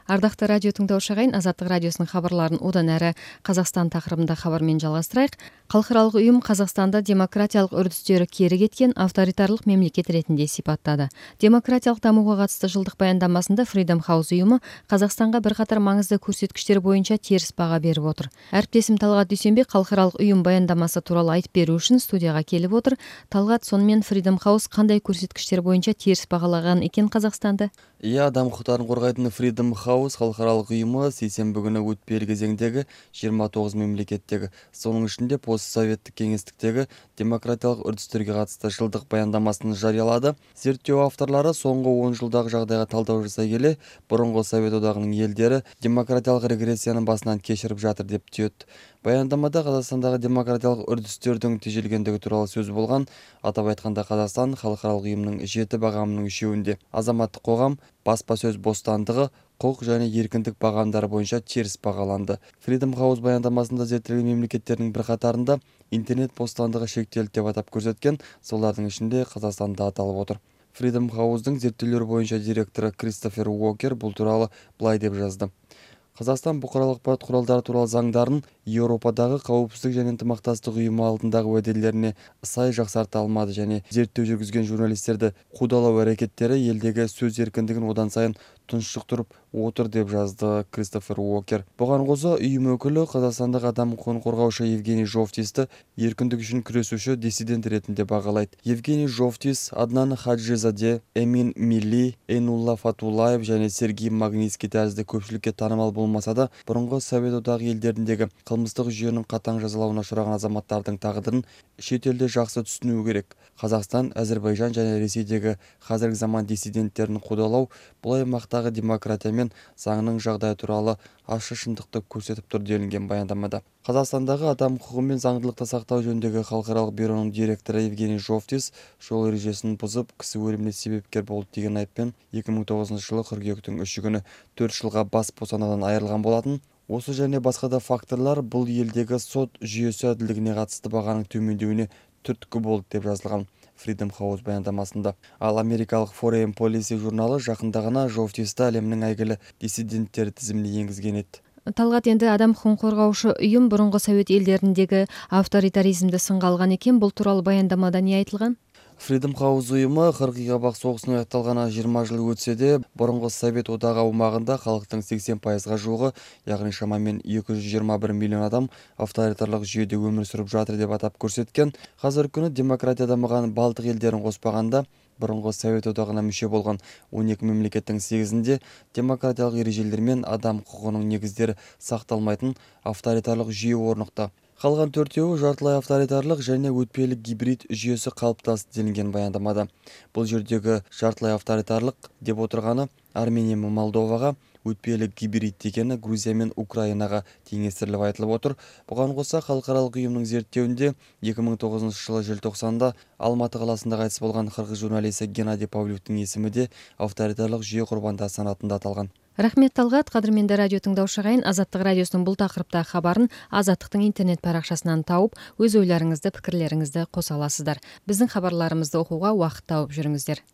Ардактуу радио тыңдоочу агайын, Азаттык радиосунун кабарларын одан ары Казакстан такырыбында кабар менен жалгастырайык. Калкыралык уюм Казакстанда демократиялык үрдүстөрү кери кеткен авторитарлык мемлекет ретинде сипаттады. Демократиялык дамууга катысты жылдык баяндамасында Freedom House уюму Казакстанга бир катар маңызды көрсөткүчтөр боюнча терс бага берип отур. Әріптесім Талгат Дүйсенбек калкыралык уюм баяндамасы тууралуу айтып берүү үчүн студияга келип отур. Талгат, сонун Freedom House кандай көрсөткүчтөр боюнча терс багалаган экен Казакстанды? Адам укуктарын коргойтун Freedom House калкыралык уюму сейсенби күнү өтпелі кезеңдеги 29 мемлекеттеги, сонун ичинде постсоветтик кеңестиктеги демократиялык үрдүстөргө катысты жылдык баяндамасын жарыялады. Зерттөө авторлору соңку 10 жылдагы жагдайга талдоо жасай келе, мурунку Совет одагынын элдери демократиялык регрессиянын басынан кечирип жатыр деп түзөт. Баяндамада Казакстандагы демократиялык үрдүстөрдүн тежелгендиги тууралуу сөз болгон. Атап айтканда, Казакстан калкыралык уюмдун 7 багамынын 3-үндө азаматтык когам, баспа сөз бостандыгы, укук жана эркиндик багамдары боюнча терс багаланды. Freedom House баяндамасында зерттелген мемлекеттердин бир катарында интернет бостандыгы шектелди деп атап көрсөткөн, солардын ичинде Казакстан да аталып отур. Freedom House'дун зерттөөлөр боюнча директору Кристофер Уокер бул тууралуу былай деп жазды. Казакстан букаралык акпарат куралдары тууралуу заңдарын Европадагы Коопсуздук жана ынтымактастык уюму алдындагы уәделерине сай жаксарта алмады жана зерттөө жүргүзгөн журналисттерди куудалоо аракеттери элдеги сөз эркиндигин одан сайын тунчуктуруп отур деп жазды Кристофер Уокер. Буга кошо уюм өкүлү Казакстандагы адам укугун коргоочу Евгений Жовтисти эркиндик үчүн күрөшүүчү диссидент иретинде багалайт. Евгений Жовтис, Аднан Хаджизаде, Эмин Милли, Эйнулла Фатуллаев жана Сергей Магнитский тәризди көпчүлүккө таанымал болмаса да, мурунку Совет одагы элдериндеги кылмыстык жүйөнүн катаң жазалауына учураган азаматтардын тагдырын чет элде жакшы түшүнүү керек. Казакстан, Азербайжан жана Ресейдеги азыркы заман диссиденттерин куудалоо бул аймактагы демократия менен заңдын жагдайы тууралуу ачык шындыкты көрсөтүп тур делинген баяндамада. Казакстандагы адам укугу менен заңдылыкты сактоо жөнүндөгү халкыралык бюронун директору Евгений Жовтис жол эрежесин бузуп, кісі өлүмүнө себепкер болду деген айыппен 2009-жылы кыркүйөктүн 3-күнү 4 жылга бас бостандыгынан айырылган болатын. Осы және басқа да факторлар бұл елдегі сот жүйесі әділдігіне қатысты бағаның төмендеуіне түрткі болды деп жазылған Freedom House баяндамасында. Ал америкалық Foreign Policy журналы жақында гана Жовтисти әлемнің әйгілі диссиденттері тізіміне енгізген еді. Талгат, энди адам укугун коргоочу уюм мурунку Совет элдериндеги авторитаризмди сынга алган экен. Бул тууралуу баяндамада эмне айтылган? Freedom House уюму Кыргыз Кабак согусунун аякталганына 20 жыл өтсө да, мурунку Совет одагы аумагында халктын 80%га жугу, ягни шамамен 221 миллион адам авторитарлык жүйөдө өмүр сүрүп жатыр деп атап көрсөткөн. Азыркы күнү демократия дамыган Балтык элдерин коспаганда, мурунку Совет одагына мүчө болгон 12 мемлекеттин 8-inde демократиялык эрежелер менен адам укугунун негиздери сакталмайтын авторитарлык жүйө орнукта. Калган 4-өө жартылай авторитарлык және өтпелик гибрид жүйөсү калыптасты делинген баяндамада. Бул жердеги жартылай авторитарлык деп отурганы Армения менен Молдовага, өтпелик гибрид дегени Грузия менен Украинага теңестирилип айтылып отур. Буга коса халкыралык уюмдун зерттөөндө 2009-жылы желтоқсанда Алматы каласында кайтыс болгон кыргыз журналисти Геннадий Павлюктун эсими де авторитарлык жүйө курбандары санатында аталган. Рахмет, Талгат. Кадырменде радио тыңдоочу агайын, Азаттык радиосунун бул такырыптагы кабарын Азаттыктын интернет баракчасынан тауып, өз ойлоруңузду, пикирлериңизди коса аласыздар. Биздин кабарларыбызды окууга убакыт тауып жүрүңүздөр.